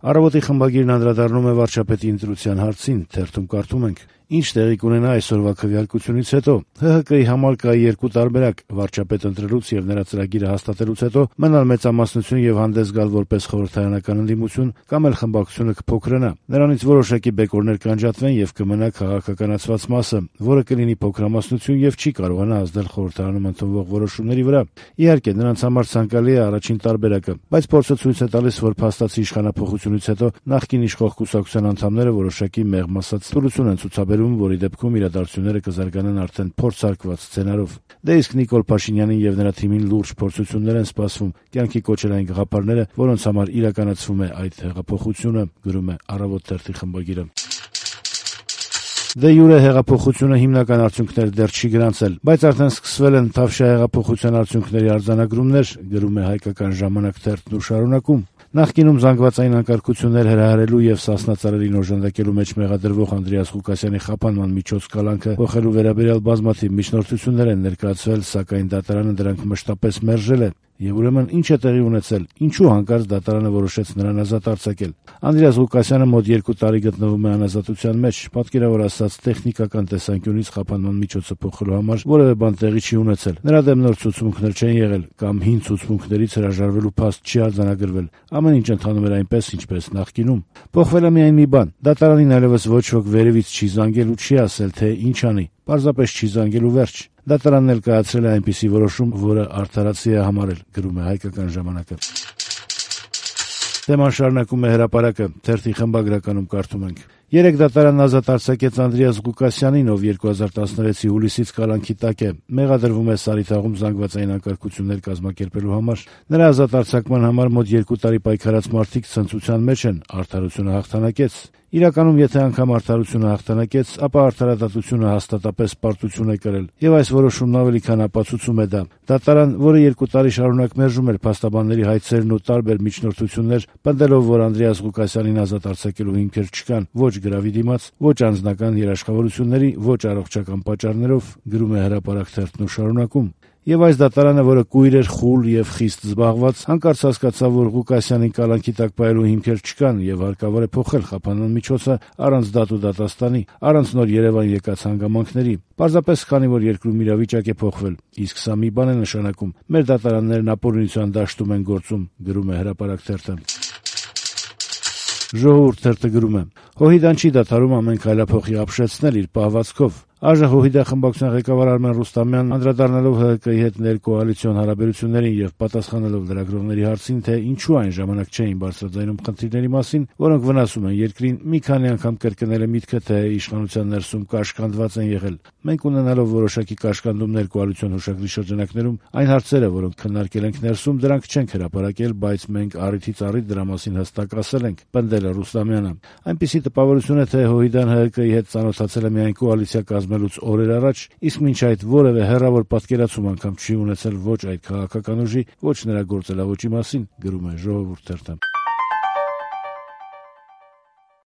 Առավոտի խմբագիրն անդրադառնում է վարչապետի ընտրության հարցին, թերթում կարդում ենք. «Ինչ տեղի կունենա այսօրվա քվեարկությունից հետո։ ՀՀԿ-ի համար կա երկու տարբերակ՝ վարչապետ ընտրելուց եւ նրա ծրագիրը հաստատելուց հետո մնալ մեծամասնություն եւ հանդես գալ որպես խորհրդարանական ընդդիմություն, կամ էլ խմբակցությունը կփոքրանա։ Նրանից որոշակի բեկորներ կանջատվեն եւ կմնա քաղաքականացված մասը, որը կլինի փոքրամասնություն եւ չի կարողանա ազդել խորհրդարանում ընդունվող որոշումների վրա։ Իհարկե, նրանց համար ցանկալի է առաջին տարբերակը, բայց փորձը ցույց է տալիս, որ փաստացի իշխանափոխությունից հետո նախկին իշխող կուսակցության անդամները որոշակի մեղմ ասած ստորություն են ցուցաբերում, որի դեպքում իրադարձությունները կզարգանան արդեն փորձարկված սցենարով։ Դե իսկ Նիկոլ Փաշինյանին եւ նրա թիմին լուրջ փորձություններ են սպասվում կյանքի կոչել այն գաղափարները, որոնց համար իրականացվում է այդ հեղափոխությունը», գրում է «Առավոտ» թերթի խմբագիրը։ Դե յուրե հեղափոխությունը հիմնական արդյունքներ դեռ չի գրանցել, բայց արդեն սկսվել են Թավշյա հեղափոխության արդյունքների արձանագրումներ, գրում է «Հայկական ժամանակ» թերթն ու շարունակում. Նախկինում զանգվածային անկարգություններ հրահրելու եւ Սասնա ծառերին օժանդակելու մեջ մեղադրվող Անդրեաս Ղուկասյանի խափանման միջոց կալանքը փոխելու վերաբերյալ բազմաթիվ միջնորդություններ են ներկայացվել, սակայն դատարանը դրանք մշտապես մերժել է։ Եվ ուրեմն ինչ է տեղի ունեցել, ինչու հանկարծ դատարանը որոշեց նրան ազատ արձակել։ Անդրեաս Ղուկասյանը մոտ 2 տարի գտնվում է անազատության մեջ, պատկերավոր ասած տեխնիկական տեսանկյունից խափանման միջոցը փոխելու համար որևէ բան տեղի չի ունեցել։ Նրա դեմ նոր ցուցմունքներ չեն եղել կամ հին ցուցմունքներից հրաժարվելու փաստ չի արձանագրվել։ Ամեն ինչ ընթանում էր այնպես, ինչպես նախկինում։ Փոխվել է միայն մի բան՝ դատարանին այլևս ոչ ոք վերևից չի զանգել ու չի ասել, թե ինչ անի։ Պարզապես չի զանգել ու վերջ։ Դատարանն էլ կայացրել է այնպիսի որոշում, որը արդարացի է համարել, գրում է «Հայկական ժամանակը»։ Թեման շարունակում է «Հրապարակը», թերթի խմբագրականում կարդում ենք. «Երեկ դատարանն ազատ արձակեց Անդրեաս Ղուկասյանին, ով 2016-ի հուլիսից կալանքի տակ է, մեղադրվում է Սարիթաղում զանգվածային անկարգություններ կազմակերպելու համար։ Նրա ազատ արձակման համար մոտ 2 տարի պայքարած մարդիկ ցնծության մեջ են, արդարությունը հաղթանակեց։ Իրականում, եթե անգամ արդարությունը հաղթանակեց, ապա արդարադատությունը հաստատապես պարտություն է կրել, եւ այս որոշումն ավելի քան ապացուցում է դա։ Դատարան, որը 2 տարի շարունակ մերժում էր փաստաբանների հայցերն ու տարբեր միջնորդություններ, պնդելով, որ Անդրեաս Ղուկասյանին ազատ արձակելու հիմքեր չկան ոչ գրավի դիմաց, ոչ անձնական երաշխավորությունների, ոչ առողջական պատճառներով, գրում է «Հրապարակ» թերթն ու շարունակում։ Եվ այս դատարանը, որը կույր էր, խուլ եւ խիստ զբաղված, հանկարծ հասկացավ, որ Ղուկասյանին կալանքի տակ պահելու հիմքեր չկան եւ հարկավոր է փոխել խափանման միջոցը առանց դատ ու դատաստանի, առանց նոր Երևան եկած հանգամանքների։ Պարզապես քանի որ երկրում իրավիճակ է փոխվել, իսկ սա մի բան է նշանակում. մեր դատարաններն ապօրինության դաշտում են գործում, գրում է «Հրապարակ» թերթը։ «Ժողովուրդ» թերթը գրում է. «Հոհիդան չի դադարում ամեն քայլափոխի ապշեցնել իր պահվածքով։ ԱԺ խմբակցության ղեկավար Արմեն Ռուստամյանն անդրադառնալով ՀՀԿ-ի հետ ներկոալիցիոն հարաբերություններին եւ պատասխանելով լրագրողների հարցին, թե ինչու այն ժամանակ չէին բարձրաձայնում խնդիրների մասին, որոնք վնասում են երկրին, մի քանի անգամ կրկնել է միտքը, թե իշխանության ներսում կաշկանդված են եղել։ Մենք ունենալով որոշակի կաշկանդումներ կոալիցիոն հուշագրի շրջանակներում, այն հարցերը, որոնք քննարկել ենք ներսում, դրանք չենք հրապարակել, բայց մենք առիթից առիթ դրա մասին հստակ ասել ենք», պնդել է Ռուստամյանը։ Այնպիսի տպավորություն է, թե Հոհիդան ՀՀԿ-ի հետ ծանոթացել է միայն կոալիցիա կազմելուց օրեր առաջ, իսկ մինչ այդ որևէ հեռավոր պատկերացում անգամ չի ունեցել ոչ այդ քաղաքական ուժի, ոչ նրա գործելավոճի մասին, գրում է «Ժողովուրդ» թերթը։